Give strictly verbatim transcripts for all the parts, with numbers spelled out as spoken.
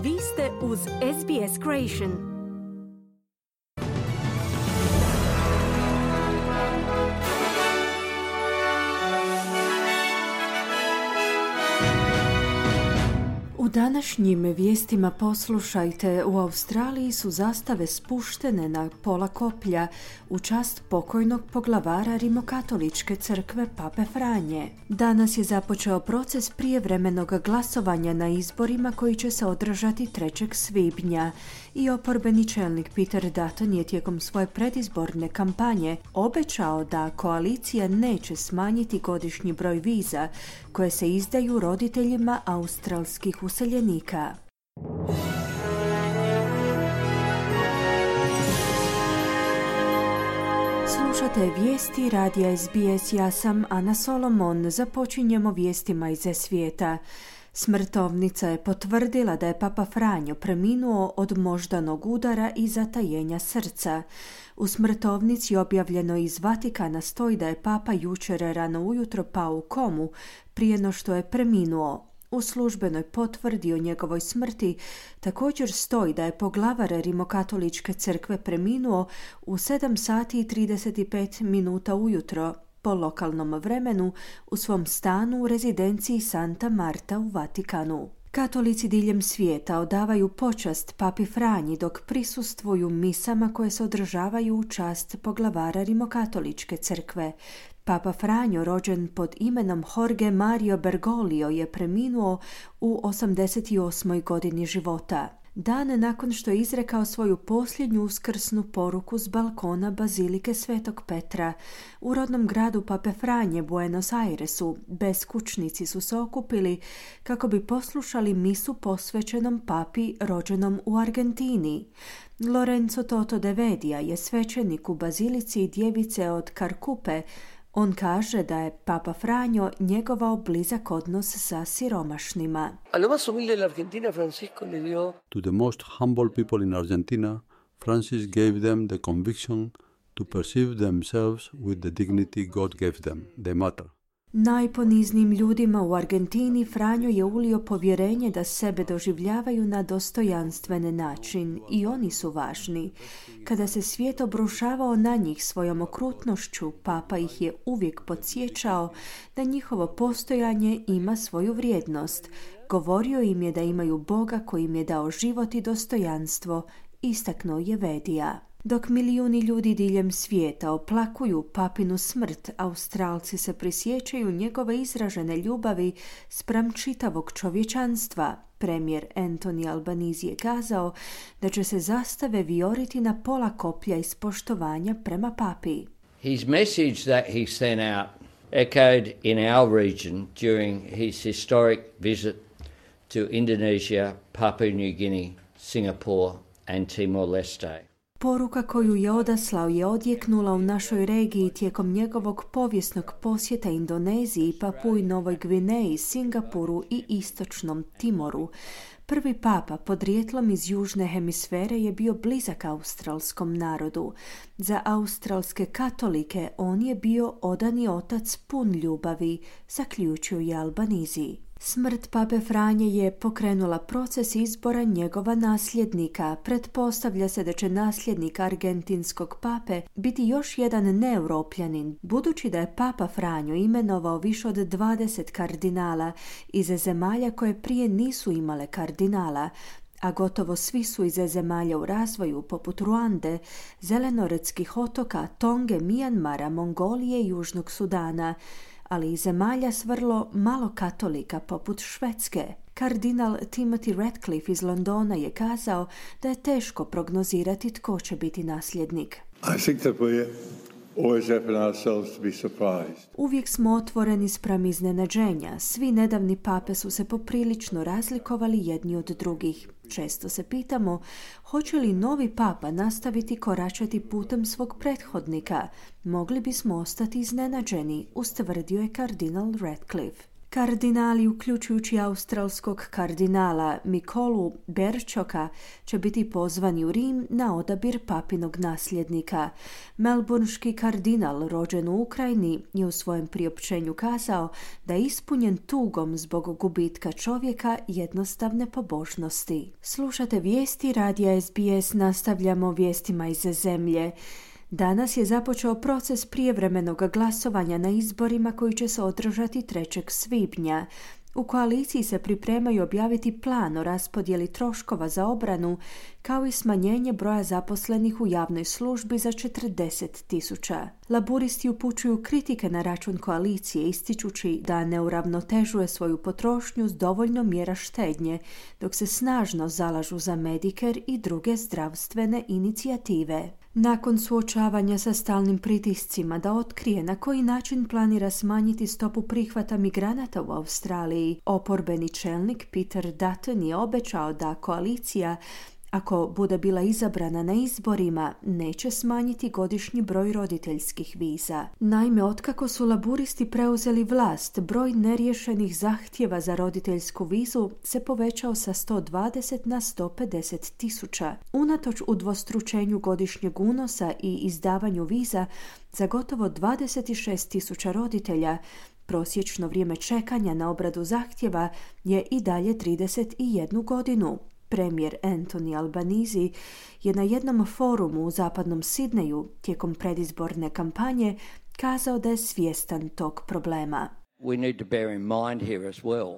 Vi ste uz S B S Creation. U današnjim vijestima poslušajte, u Australiji su zastave spuštene na pola koplja u čast pokojnog poglavara Rimokatoličke crkve Pape Franje. Danas je započeo proces prijevremenog glasovanja na izborima koji će se održati trećeg svibnja i oporbeni čelnik Peter Dutton je tijekom svoje predizborne kampanje obećao da koalicija neće smanjiti godišnji broj viza koje se izdaju roditeljima australskih useljenika. Slušate vijesti radija S B S, ja sam Ana Solomon. Započinjemo vijestima iz svijeta. Smrtovnica je potvrdila da je Papa Franjo preminuo od moždanog udara i zatajenja srca. U smrtovnici objavljeno iz Vatikana stoji da je Papa jučer rano ujutro pao u komu prije no što je preminuo. U službenoj potvrdi o njegovoj smrti također stoji da je poglavar Rimokatoličke crkve preminuo u sedam sati i trideset pet minuta ujutro po lokalnom vremenu u svom stanu u rezidenciji Santa Marta u Vatikanu. Katolici diljem svijeta odavaju počast Papi Franji dok prisustvuju misama koje se održavaju u čast poglavara Rimokatoličke crkve. Papa Franjo, rođen pod imenom Jorge Mario Bergoglio, je preminuo u osamdeset osmoj godini života. Dan nakon što je izrekao svoju posljednju uskrsnu poruku s balkona Bazilike Svetog Petra. U rodnom gradu Pape Franje, Buenos Airesu, beskućnici su se okupili kako bi poslušali misu posvećenom papi rođenom u Argentini. Lorenzo Toto de Vedia je svećenik u Bazilici Djevice od Carcupe. On kaže da je Papa Franjo njegovao blizak odnos sa siromašnima. To the most humble people in Argentina, Francis gave them the conviction to perceive themselves with the dignity God gave them. They matter. Najponiznijim ljudima u Argentini Franjo je ulio povjerenje da sebe doživljavaju na dostojanstven način i oni su važni. Kada se svijet obrušavao na njih svojom okrutnošću, Papa ih je uvijek podsjećao da njihovo postojanje ima svoju vrijednost. Govorio im je da imaju Boga koji im je dao život i dostojanstvo, istaknuo je Vedija. Dok milijuni ljudi diljem svijeta oplakuju papinu smrt, Australci se prisjećaju njegove izražene ljubavi spram čitavog čovječanstva. Premijer Anthony Albanese je kazao da će se zastave vijoriti na pola koplja iz poštovanja prema papi. His message that he sent out echoed in our region during his historic visit to Indonesia, Papua New Guinea, Singapore and Timor-Leste. Poruka koju je odaslao je odjeknula u našoj regiji tijekom njegovog povijesnog posjeta Indoneziji, Papui Novoj Gvineji, Singapuru i istočnom Timoru. Prvi papa podrijetlom iz južne hemisfere je bio blizak australskom narodu. Za australske katolike on je bio odani otac pun ljubavi, zaključio je Albanese. Smrt Pape Franje je pokrenula proces izbora njegova nasljednika. Pretpostavlja se da će nasljednik argentinskog pape biti još jedan neeuropljanin, budući da je Papa Franjo imenovao više od dvadeset kardinala iz zemalja koje prije nisu imale kardinala, a gotovo svi su iz zemalja u razvoju poput Ruande, Zelenoretskih otoka, Tonge, Mijanmara, Mongolije i Južnog Sudana, ali i zemalja s vrlo malo katolika poput Švedske. Kardinal Timothy Ratcliffe iz Londona je kazao da je teško prognozirati tko će biti nasljednik. I think that we always open ourselves to be surprised. Uvijek smo otvoreni spram iznenađenja. Svi nedavni pape su se poprilično razlikovali jedni od drugih. Često se pitamo hoće li novi papa nastaviti koračati putem svog prethodnika. Mogli bismo ostati iznenađeni, ustvrdio je kardinal Ratcliffe. Kardinali, uključujući australskog kardinala Mikolu Berčoka, će biti pozvani u Rim na odabir papinog nasljednika. Melbourneški kardinal, rođen u Ukrajini, je u svojem priopćenju kazao da je ispunjen tugom zbog gubitka čovjeka jednostavne pobožnosti. Slušate vijesti radija S B S, nastavljamo vijestima iz zemlje. Danas je započeo proces prijevremenog glasovanja na izborima koji će se održati trećeg svibnja. U koaliciji se pripremaju objaviti plan o raspodjeli troškova za obranu, kao i smanjenje broja zaposlenih u javnoj službi za četrdeset tisuća. Laburisti upućuju kritike na račun koalicije, ističući da ne uravnotežuje svoju potrošnju s dovoljno mjera štednje, dok se snažno zalažu za Medicare i druge zdravstvene inicijative. Nakon suočavanja sa stalnim pritiscima da otkrije na koji način planira smanjiti stopu prihvata migranata u Australiji, oporbeni čelnik Peter Dutton je obećao da koalicija, ako bude bila izabrana na izborima, neće smanjiti godišnji broj roditeljskih viza. Naime, otkako su laburisti preuzeli vlast, broj neriješenih zahtjeva za roditeljsku vizu se povećao sa sto dvadeset na sto pedeset tisuća. Unatoč udvostručenju godišnjeg unosa i izdavanju viza za gotovo dvadeset šest tisuća roditelja, prosječno vrijeme čekanja na obradu zahtjeva je i dalje trideset jednu godinu. Premijer Anthony Albanese je na jednom forumu u zapadnom Sidneju tijekom predizborne kampanje kazao da je svjestan tog problema. We need to bear in mind here as well,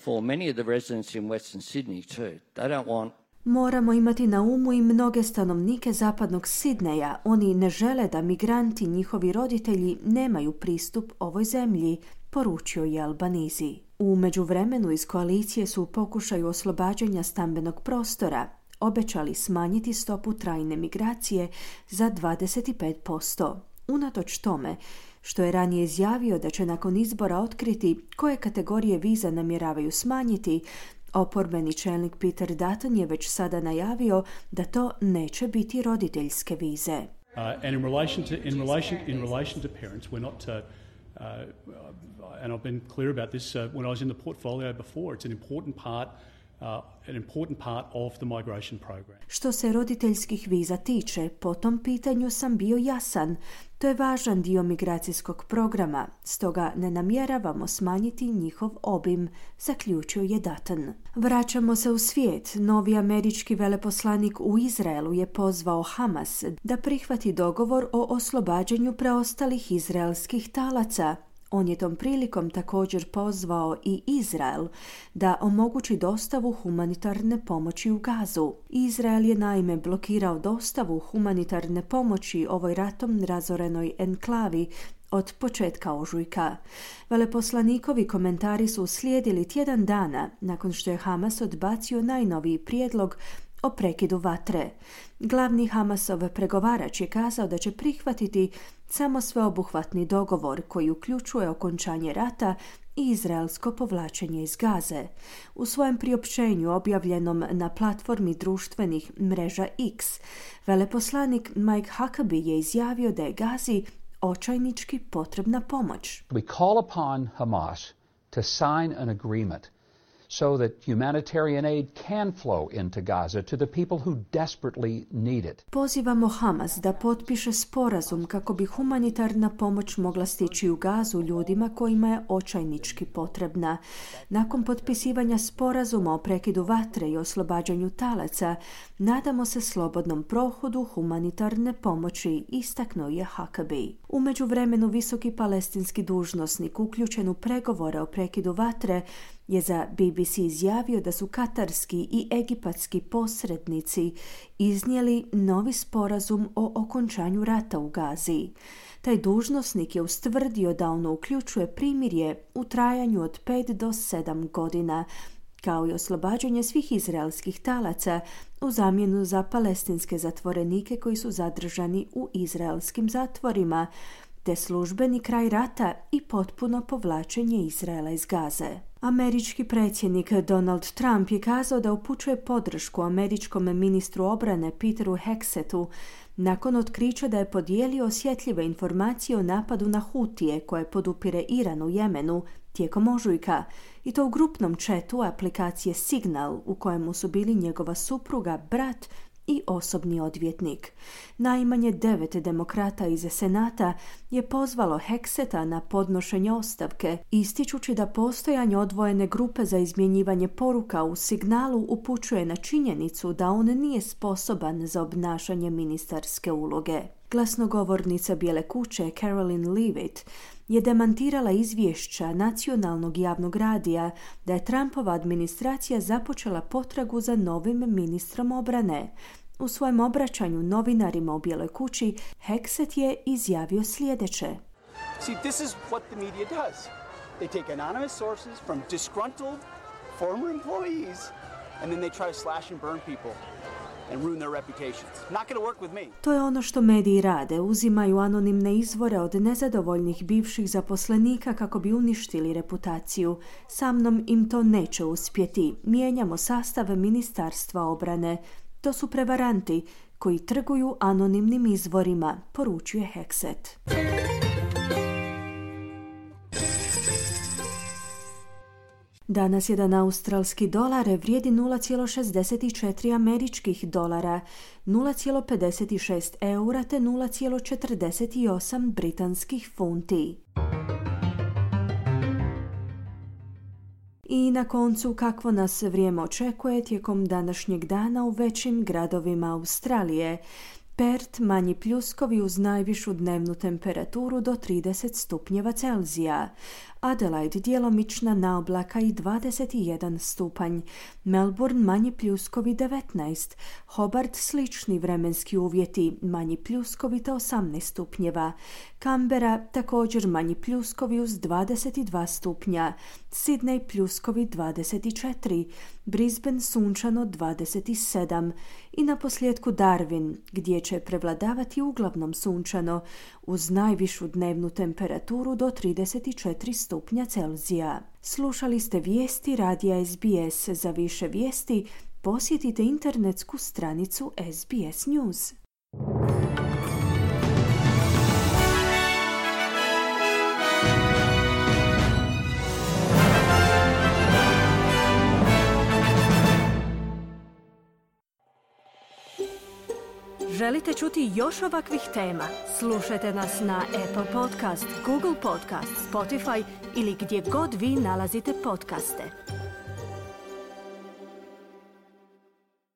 for many of the residents in Western Sydney too, they don't want Moramo imati na umu i mnoge stanovnike zapadnog Sidneja. Oni ne žele da migranti, njihovi roditelji, nemaju pristup ovoj zemlji, poručio je Albanese. U međuvremenu iz koalicije su u pokušaju oslobađanja stambenog prostora obećali smanjiti stopu trajne migracije za dvadeset pet posto. Unatoč tome što je ranije izjavio da će nakon izbora otkriti koje kategorije viza namjeravaju smanjiti, oporbeni čelnik Peter Dutton je već sada najavio da to neće biti roditeljske vize. Uh, and in relation to in relation in relation to parents, we're not uh, uh, and I've been clear about this uh, when I was in the portfolio before. It's an important part Uh, an important part of the migration program. Što se roditeljskih viza tiče, po tom pitanju sam bio jasan. To je važan dio migracijskog programa, stoga ne namjeravamo smanjiti njihov obim, zaključio je Dutton. Vraćamo se u svijet. Novi američki veleposlanik u Izraelu je pozvao Hamas da prihvati dogovor o oslobađanju preostalih izraelskih talaca. On je tom prilikom također pozvao i Izrael da omogući dostavu humanitarne pomoći u Gazu. Izrael je naime blokirao dostavu humanitarne pomoći ovoj ratom razorenoj enklavi od početka ožujka. Veleposlanikovi komentari su uslijedili tjedan dana nakon što je Hamas odbacio najnoviji prijedlog o prekidu vatre. Glavni Hamasov pregovarač je kazao da će prihvatiti samo sveobuhvatni dogovor koji uključuje okončanje rata i izraelsko povlačenje iz Gaze. U svojem priopćenju objavljenom na platformi društvenih mreža X, veleposlanik Mike Huckabee je izjavio da je Gazi očajnički potrebna pomoć. We call upon Hamas to sign an agreement so that humanitarian aid can flow into Gaza to the people who desperately need it. Pozivamo Hamas da potpiše sporazum kako bi humanitarna pomoć mogla stići u Gazu ljudima kojima je očajnički potrebna. Nakon potpisivanja sporazuma o prekidu vatre i oslobađanju talaca, nadamo se slobodnom prohodu humanitarne pomoći, istaknuo je Huckabee. U međuvremenu visoki palestinski dužnosnik uključen u pregovore o prekidu vatre je za B B C izjavio da su katarski i egipatski posrednici iznijeli novi sporazum o okončanju rata u Gazi. Taj dužnosnik je ustvrdio da ono uključuje primirje u trajanju od pet do sedam godina, kao i oslobađanje svih izraelskih talaca u zamjenu za palestinske zatvorenike koji su zadržani u izraelskim zatvorima, te službeni kraj rata i potpuno povlačenje Izraela iz Gaze. Američki predsjednik Donald Trump je kazao da upućuje podršku američkom ministru obrane Peteru Hexetu nakon otkrića da je podijelio osjetljive informacije o napadu na Hutije koje podupire Iran u Jemenu tijekom ožujka, i to u grupnom chatu aplikacije Signal u kojemu su bili njegova supruga, brat i osobni odvjetnik. Najmanje devet demokrata iz Senata je pozvalo Hexeta na podnošenje ostavke, ističući da postojanje odvojene grupe za izmjenjivanje poruka u Signalu upućuje na činjenicu da on nije sposoban za obnašanje ministarske uloge. Glasnogovornica Bijele kuće Caroline Leavitt je demantirala izvješća nacionalnog javnog radija da je Trumpova administracija započela potragu za novim ministrom obrane. U svojem obraćanju novinarima u Bijeloj kući Hexet je izjavio sljedeće. See, this is what the media does. They take anonymous sources from disgruntled former employees and then they try to slash and burn people and ruin their reputations. Not going to work with me. To je ono što mediji rade, uzimaju anonimne izvore od nezadovoljnih bivših zaposlenika kako bi uništili reputaciju. Sa mnom im to neće uspjeti. Mijenjamo sastav ministarstva obrane. To su prevaranti koji trguju anonimnim izvorima, poručuje Hexet. Danas jedan australski dolar vrijedi nula zarez šezdeset četiri američkih dolara, nula zarez pedeset šest eura te nula zarez četrdeset osam britanskih funti. I na koncu, kakvo nas vrijeme očekuje tijekom današnjeg dana u većim gradovima Australije. Perth manji pljuskovi uz najvišu dnevnu temperaturu do trideset stupnjeva Celzija. Adelaide djelomična naoblaka i dvadeset jedan stupanj. Melbourne manji pljuskovi devetnaest. Hobart slični vremenski uvjeti, manji pljuskovi te osamnaest stupnjeva. Canberra također manji pljuskovi uz dvadeset dva stupnja. Sydney pljuskovi dvadeset četiri. Brisbane sunčano dvadeset sedam. I na posljedku Darwin, gdje će prevladavati uglavnom sunčano uz najvišu dnevnu temperaturu do trideset četiri stupnja Celzija. Slušali ste vijesti radija S B S. Za više vijesti posjetite internetsku stranicu S B S News. Želite čuti još ovakvih tema? Slušajte nas na Apple Podcast, Google Podcast, Spotify ili gdje god vi nalazite podcaste.